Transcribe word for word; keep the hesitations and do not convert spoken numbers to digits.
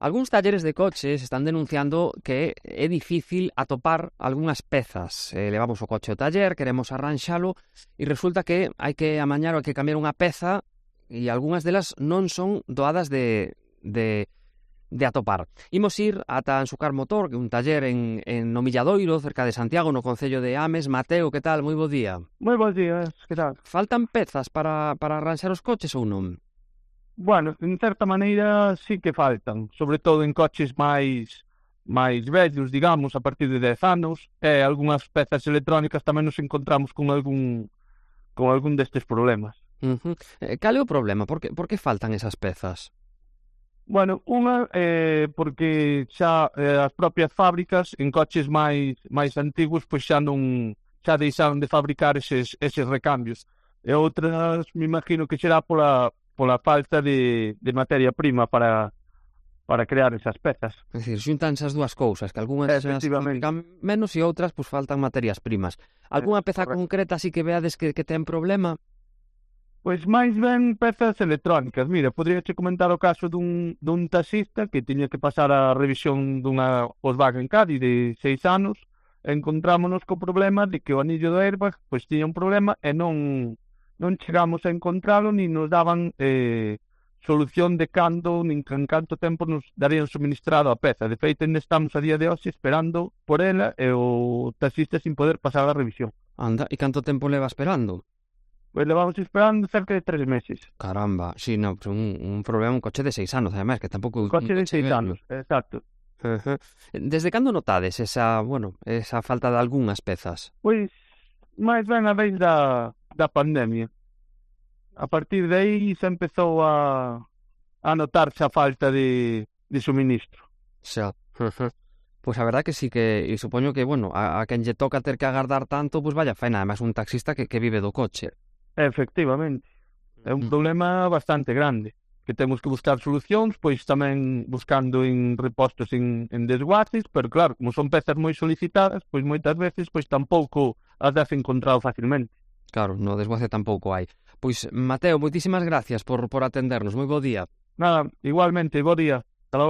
Algúns talleres de coches están denunciando que é difícil atopar algunhas pezas. Eh, levamos o coche ao taller, queremos arranxalo e resulta que hai que amañar ou hai que cambiar unha peza e algunhas delas non son doadas de, de, de atopar. Imos ir ata Ansucar Motor, que é un taller en, en no Milladoiro, cerca de Santiago, no concello de Ames. Mateo, que tal? Moi bo día. Moi bons días, que tal? Faltan pezas para, para arranxar os coches ou non? Bueno, en certa maneira sí que faltan, sobre todo en coches máis máis vellos, digamos, a partir de dez anos, e algunhas pezas electrónicas tamén nos encontramos con algún con algún destes problemas. Uh-huh. Eh, cal é o problema? Por que, por que faltan esas pezas? Bueno, unha eh, porque xa eh, as propias fábricas en coches máis máis antigos pois xa non xa deixaron de fabricar eses, eses recambios. E outras, me imagino que será pola pola falta de, de materia prima para, para crear esas pezas. É dicir, xuntanse as dúas cousas, que algunhas fabrican menos e outras pues, faltan materias primas. Algúna peza Correcto. concreta así que veades que, que ten problema? Pois máis ben pezas electrónicas. Mira, podría che comentar o caso dun, dun taxista que tiña que pasar a revisión dunha Volkswagen Caddy de seis anos, e encontrámonos co problema de que o anillo do airbag pois tiña un problema e non non chegamos a encontralo, ni nos daban eh, solución de cando, nin en canto tempo nos darían suministrado a peza. De feito, ainda estamos a día de hoxe esperando por ela e o taxista sin poder pasar a revisión. Anda, e canto tempo leva esperando? Pois levamos esperando cerca de tres meses. Caramba, si, sí, no, un, un problema, un coche de seis anos, además, que tampouco... Un coche de seis anos, exacto. Uh-huh. Desde cando notades esa, bueno, esa falta de algunhas pezas? Pois, máis ben a vez da, da pandemia. A partir de aí se empezou a, a notarse a falta de, de suministro. Xa, uh-huh. Pois a verdad que sí que, e supoño que, bueno, a, a quen lle toca ter que agardar tanto, pois vaya faena, además un taxista que, que vive do coche. Efectivamente, é un problema bastante grande, que temos que buscar solucións, pois tamén buscando en repostos en, en desguaces, pero claro, como son pezas moi solicitadas, pois moitas veces pois tampouco as das encontrado facilmente. Claro, no desguace tampouco hai. Pois, Mateo, moitísimas gracias por, por atendernos, moi bo día. Nada, igualmente, bo día.